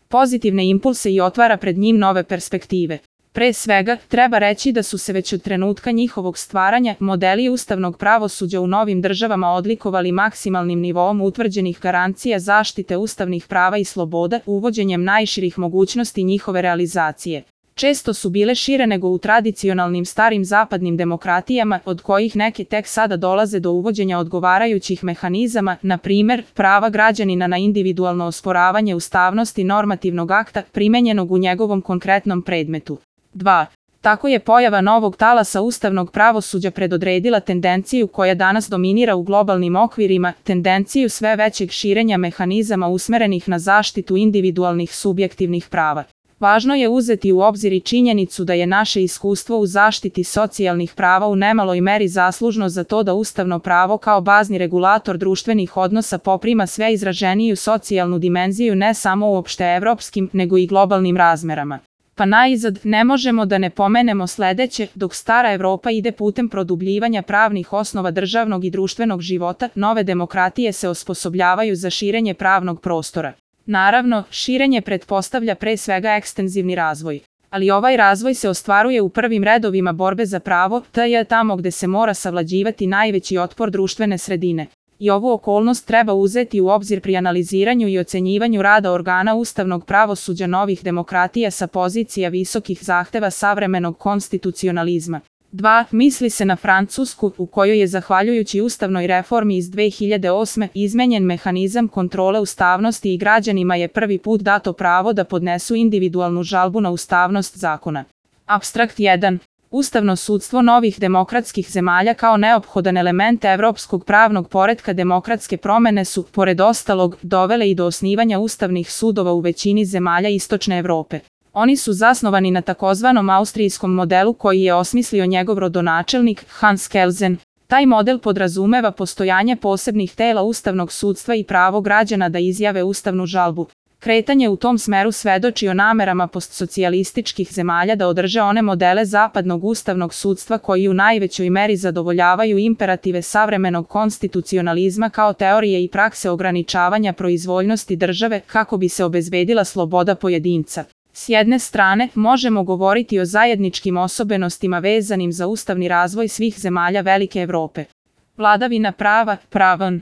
pozitivne impulse i otvara pred njim nove perspektive. Pre svega, treba reći da su se već od trenutka njihovog stvaranja modeli ustavnog pravosuđa u novim državama odlikovali maksimalnim nivoom utvrđenih garancija zaštite ustavnih prava i sloboda, uvođenjem najširih mogućnosti njihove realizacije. Često su bile šire nego u tradicionalnim starim zapadnim demokratijama, od kojih neke tek sada dolaze do uvođenja odgovarajućih mehanizama, na primer, prava građanina na individualno osporavanje ustavnosti normativnog akta primenjenog u njegovom konkretnom predmetu. 2. Tako je pojava novog talasa ustavnog pravosuđa predodredila tendenciju koja danas dominira u globalnim okvirima, tendenciju sve većeg širenja mehanizama usmerenih na zaštitu individualnih subjektivnih prava. Važno je uzeti u obzir i činjenicu da je naše iskustvo u zaštiti socijalnih prava u nemaloj meri zaslužno za to da ustavno pravo kao bazni regulator društvenih odnosa poprima sve izraženiju socijalnu dimenziju ne samo u opšteevropskim, nego i globalnim razmerama. Pa najzad, ne možemo da ne pomenemo sledeće: dok stara Evropa ide putem produbljivanja pravnih osnova državnog i društvenog života, nove demokratije se osposobljavaju za širenje pravnog prostora. Naravno, širenje pretpostavlja pre svega ekstenzivni razvoj. Ali ovaj razvoj se ostvaruje u prvim redovima borbe za pravo, tamo gde se mora savlađivati najveći otpor društvene sredine. I ovu okolnost treba uzeti u obzir pri analiziranju i ocenjivanju rada organa ustavnog pravosuđa novih demokratija sa pozicija visokih zahteva savremenog konstitucionalizma. 2. Misli se na Francusku, u kojoj je zahvaljujući ustavnoj reformi iz 2008. izmenjen mehanizam kontrole ustavnosti i građanima je prvi put dato pravo da podnesu individualnu žalbu na ustavnost zakona. Apstrakt 1. Ustavno sudstvo novih demokratskih zemalja kao neophodan element evropskog pravnog poretka demokratske promene su, pored ostalog, dovele i do osnivanja ustavnih sudova u većini zemalja Istočne Evrope. Oni su zasnovani na takozvanom austrijskom modelu koji je osmislio njegov rodonačelnik, Hans Kelsen. Taj model podrazumeva postojanje posebnih tela ustavnog sudstva i pravo građana da izjave ustavnu žalbu. Kretanje u tom smeru svedoči o namerama postsocijalističkih zemalja da održe one modele zapadnog ustavnog sudstva koji u najvećoj meri zadovoljavaju imperative savremenog konstitucionalizma kao teorije i prakse ograničavanja proizvoljnosti države kako bi se obezbedila sloboda pojedinca. S jedne strane, možemo govoriti o zajedničkim osobenostima vezanim za ustavni razvoj svih zemalja Velike Evrope. Vladavina prava, pravan.